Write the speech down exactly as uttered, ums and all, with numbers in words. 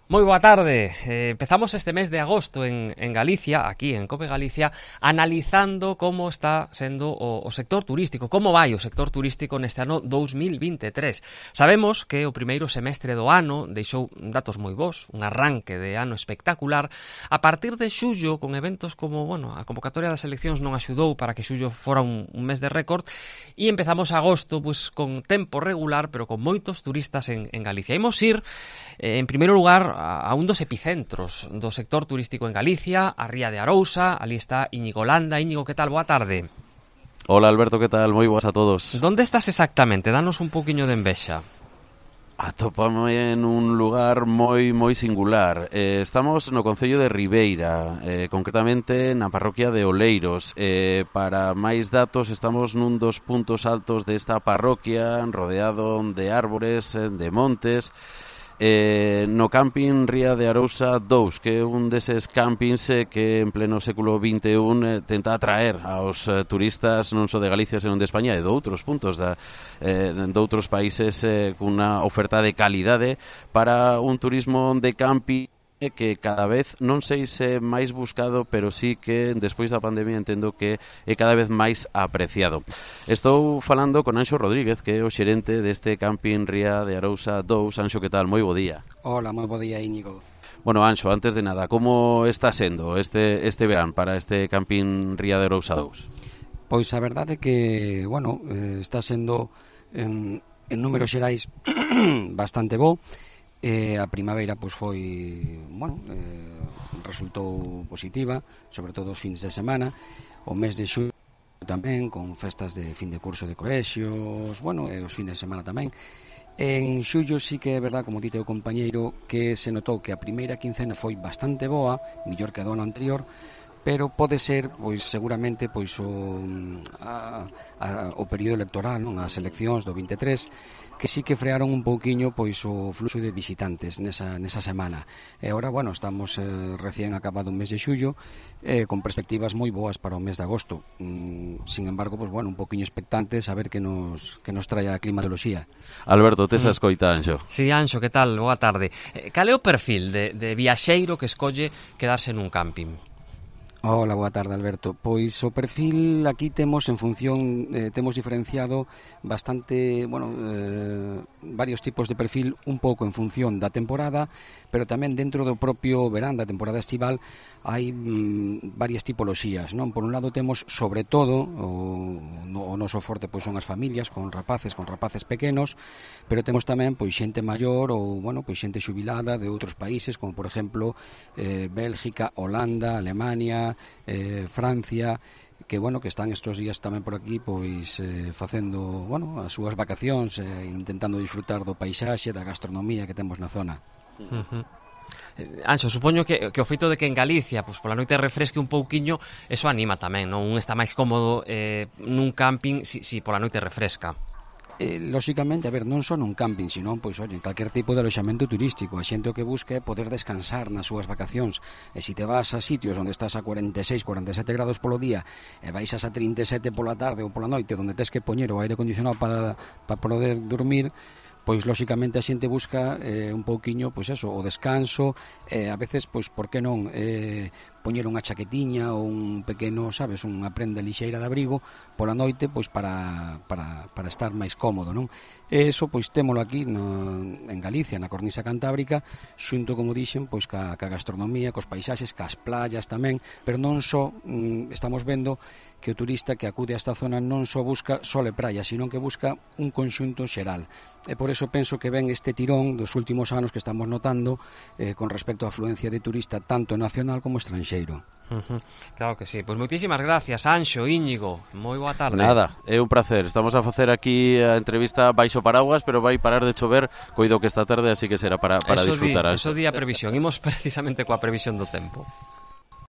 Moi boa tarde. Eh, empezamos este mes de agosto en, en Galicia, aquí en Cope Galicia, analizando como está sendo o, o sector turístico, como vai o sector turístico neste ano dous mil vinte e tres. Sabemos que o primeiro semestre do ano deixou datos moi bons, un arranque de ano espectacular. A partir de xullo, con eventos como, bueno, a convocatoria das eleccións non axudou para que xullo fora un, un mes de récord, e empezamos agosto pues, con tempo regular, pero con moitos turistas en, en Galicia. Imos ir, eh, en primeiro lugar, a un dos epicentros do sector turístico en Galicia, a Ría de Arousa. Ali está Íñigo Landa. Íñigo, que tal? Boa tarde. Hola Alberto, que tal? Moi boas a todos. Donde estás exactamente? Danos un poquinho de envexa. Atópame en un lugar moi moi singular. Eh, estamos no concello de Ribeira, eh, concretamente na parroquia de Oleiros. Eh, para máis datos, estamos nun dos puntos altos desta parroquia, rodeado de árbores, de montes. Eh, no camping Ría de Arousa dous, que é un deses campings eh, que en pleno século vinte e un eh, tenta atraer aos eh, turistas non só de Galicia, senón de España e de outros puntos da, eh, de outros países eh, cunha oferta de calidade para un turismo de camping que cada vez, non sei se máis buscado, pero sí que despois da pandemia entendo que é cada vez máis apreciado. Estou falando con Anxo Rodríguez, que é o xerente deste camping Ría de Arousa dous. Anxo, que tal? Moi bo día. Hola, moi bo día, Íñigo. Bueno, Anxo, antes de nada, como está sendo este, este verán para este camping Ría de Arousa dous? Pois a verdade é que, bueno, eh, está sendo en, en números xerais bastante bo. Eh, a primavera pois foi, bueno, eh, resultou positiva, sobre todo os fins de semana. O mes de xullo tamén, con festas de fin de curso de colexios, bueno, e os fins de semana tamén. En xullo sí que é verdad, como dite o compañeiro, que se notou que a primeira quincena foi bastante boa, mellor que a do ano anterior, pero pode ser, pois seguramente, pois o, a, a, o período electoral, non, as eleccións do vinte e tres, que sí que frearon un pouquiño pois o fluxo de visitantes nesa, nesa semana. E agora, bueno, estamos eh, recién acabado un mes de xullo, eh, con perspectivas moi boas para o mes de agosto. Mm, sin embargo, pois bueno, un pouquiño expectantes a ver que nos, que nos trae a climatoloxía. Alberto, tes a escoita, Anxo. Sí, Anxo, que tal? Boa tarde. Eh, cal é o perfil de, de viaxeiro que escolle quedarse nun camping? Hola, boa tarde, Alberto. Pois o perfil aquí temos en función, eh, temos diferenciado bastante, bueno, eh, varios tipos de perfil, un pouco en función da temporada, pero tamén dentro do propio verán, da temporada estival, hai mm, varias tipoloxías, non? Por un lado temos, sobre todo, o, no, o noso forte pois son as familias, con rapaces, con rapaces pequenos, pero temos tamén pois xente maior ou, bueno, pois xente xubilada de outros países, como por exemplo eh, Bélgica, Holanda, Alemania, Eh, Francia, que bueno, que están estes días tamén por aquí pois eh, facendo, bueno, as súas vacacións, eh, intentando disfrutar do paisaxe, da gastronomía que temos na zona. Uh-huh. Anxo, supoño que, que o feito de que en Galicia pois pola noite refresque un pouquiño, eso anima tamén, non? Un está máis cómodo eh, nun camping si, si pola noite refresca. Eh, lóxicamente, a ver, non só nun camping, sino, pois, oi, en calquer tipo de aloxamento turístico. A xente o que busca é poder descansar nas súas vacacións. E se te vas a sitios onde estás a cuarenta e seis, cuarenta e sete grados polo día e vais a trinta e sete pola tarde ou pola noite, onde tes que poñer o aire acondicionado para, para poder dormir, pois lóxicamente a xente busca eh, un pouquiño, pois eso, o descanso, eh, a veces, pois, por que non eh, poñer unha chaquetiña ou un pequeno, sabes, unha prenda lixeira de abrigo pola noite, pois para, para, para estar máis cómodo, non? E eso, pois, témolo aquí no, en Galicia, na cornisa cantábrica, xunto, como dixen, pois, ca, ca gastronomía, cos paisaxes, cas playas tamén, pero non só mm, estamos vendo que o turista que acude a esta zona non só busca sole praia, sino que busca un conxunto xeral. E por eso penso que ven este tirón dos últimos anos que estamos notando eh, con respecto á afluencia de turista tanto nacional como estranxeiro. Uh-huh. Claro que sí. Pois moitísimas gracias, Anxo, Íñigo. Moi boa tarde. Nada, é un placer. Estamos a facer aquí a entrevista baixo paraguas, pero vai parar de chover, coido que esta tarde, así que será para, para eso disfrutar. Di, eso di a previsión. Imos precisamente coa previsión do tempo.